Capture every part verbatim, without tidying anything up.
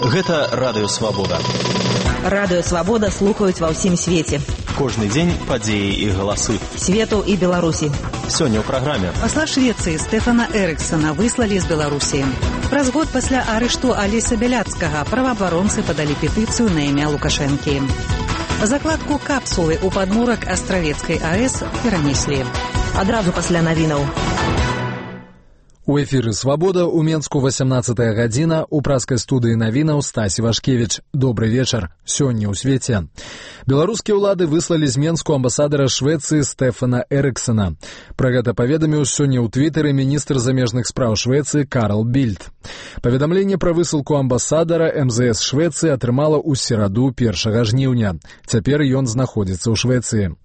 Гэта Радыё Свабода. Радыё Свабода слухаюць ва ўсім свеце. Кожны дзень падзеі і галасы. Свету і Беларусі. Сёння ў праграме. Пасла Швецыі Стэфана Эрыксана выслалі з Беларусі. Праз год пасля арышту Алеся Бяляцкага праваабаронцы падалі петыцыю на імя Лукашэнкі. Закладку капсулы ў падмурак Астравецкай АЭС перанеслі. Адразу пасля навінаў. У эфіры «Свабода» у Менску васямнаццатая гадзіна, у праскай студыі навінаў Стасі Вашкевіч. Добры вечар. Сёння ў свеце. Беларускія ўлады выслалі з Менску амбасадара Швецыі Стэфана Эрыксана. Пра гэта паведаміў сёння ў твітары міністр замежных спраў Швецыі Карл Більд. Паведамленне пра высылку амбасадара эм зэ эс Швецыі атрымала ў сераду першага жніўня. Цяпер ён знаходзіцца ў Швецыі.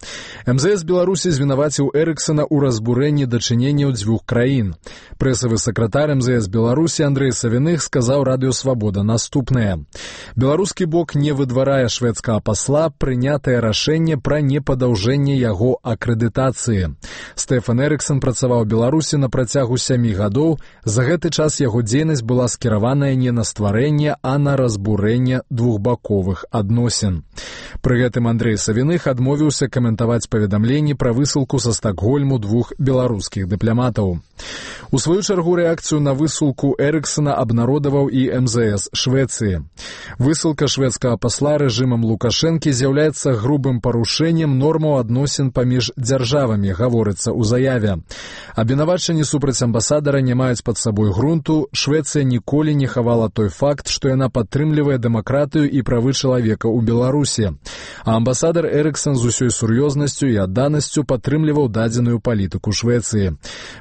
эм зэ эс Беларусі звінаваціў Эрыксана ў разбурэнні дачыненняў дзвюх краін. Прэсавы сакратар эм зэ эс Беларусі Андрэй Савіных сказаў Радыё Свабода наступнае. Беларускі бок не выдварае шведскага пасла, прынятае рашэнне пра непадаўжэнне яго акрэдытацыі. Стэфан Эрыксан працаваў у Беларусі на працягу сямі гадоў. За гэты час яго дзейнасць была скіраваная не на стварэнне, а на разбурэнне двухбаковых адносін. Пры гэтым Андрэй Савіных адмовіўся каментаваць паведамленні пра высылку са Стакгольму двух беларускіх дыпламатаў. У сваю чаргу рэакцыю на высылку Эрыксана абнародаваў і эм зэ эс Швецыі. Высылка шведскага пасла рэжымам Лукашэнкі з'яўляецца грубым парушэннем нормаў адносін паміж дзяржавамі, гаворыцца ў заяве. Абвінавачанні супраць амбасадара не маюць пад сабой грунту. Швецыя ніколі не хавала той факт, што яна падтрымлівае дэмакратыю і правы чалавека ў Беларусі. А амбасадар Эрыксан з усёй сур'ёзнасцю і адданасцю падтрымліваў дадзеную палітыку Швецыі.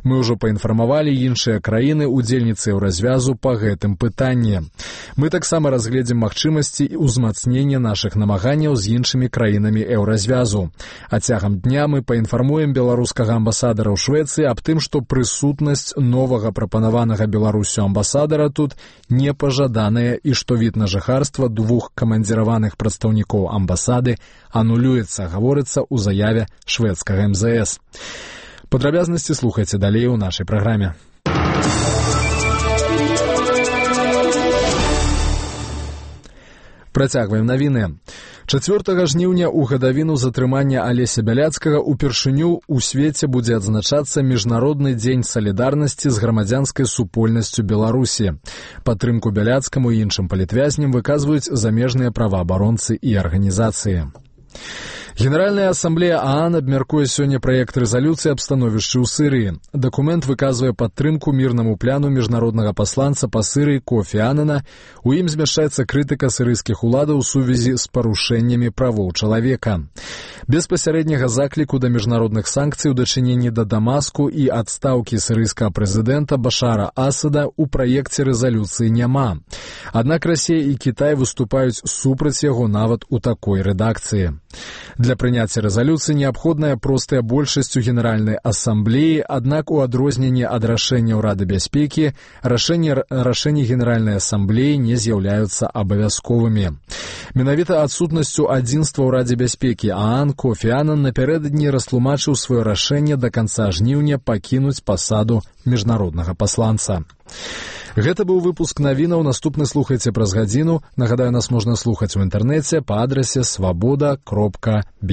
Мы ўжо паінфармавалі іншыя краіны, удзельніцы еўразвязу па гэтым пытанні. Мы таксама разгледзім магчымасці ўзмацнення нашых намаганняў з іншымі краінамі еўразвязу. А цягам дня мы паінфармуем беларускага амбасадара ў Швецыі аб тым, што прысутнасць новага прапанаванага Беларусю амбасадара тут непажаданая і што від на жыхарства двух камандзіраваных прадстаўнікоў амбасады анулюецца, гаворыцца ў заяве шведскага эм зэ эс. Падрабязнасці слухайце далей у нашай праграме. Працягваем навіны. чацвёртага жніўня ў гадавіну затрымання Алеся Бяляцкага упершыню ў свеце будзе адзначацца Міжнародны дзень салідарнасці з грамадзянскай супольнасцю Беларусі. Падтрымку Бяляцкаму і іншым палітвязням выказваюць замежныя праваабаронцы і арганізацыі. Генеральная асамблея ААН абмяркуе сёння праект рэзалюцыі аб становішчы ў Сырыі. Дакумент выказвае падтрымку мірнаму пляну міжнароднага пасланца па Сырыі Кофі Аннана. У ім змяшчаецца крытыка сырыйскіх уладаў у сувязі з парушэннямі правоў чалавека. Без пасярэдняга закліку да міжнародных санкцый у дачыненні да Дамаску і адстаўкі сырыйскага прэзідэнта Башара Асада ў праекце рэзалюцыі няма. Аднак Расія і Кітай выступаюць супраць яго нават у такой рэдакцыі. Для прыняцця рэзалюцыі неабходная простая большасць у Генеральнай асамблеі, аднак у адрозненне ад рашэнняў Рады бяспекі, рашэнні, рашэнні Генеральнай асамблеі не з'яўляюцца абавязковымі. Менавіта адсутнасцю адзінства ў Радзе бяспекі ААН Кофі Аннан напярэдадні растлумачыў сваё рашэнне да канца жніўня пакінуць пасаду міжнароднага пасланца. Гэта быў выпуск навінаў, наступны слухайце праз гадзіну. Нагадаю, нас можна слухаць у інтэрнэце па адрасе свабода кропка бі.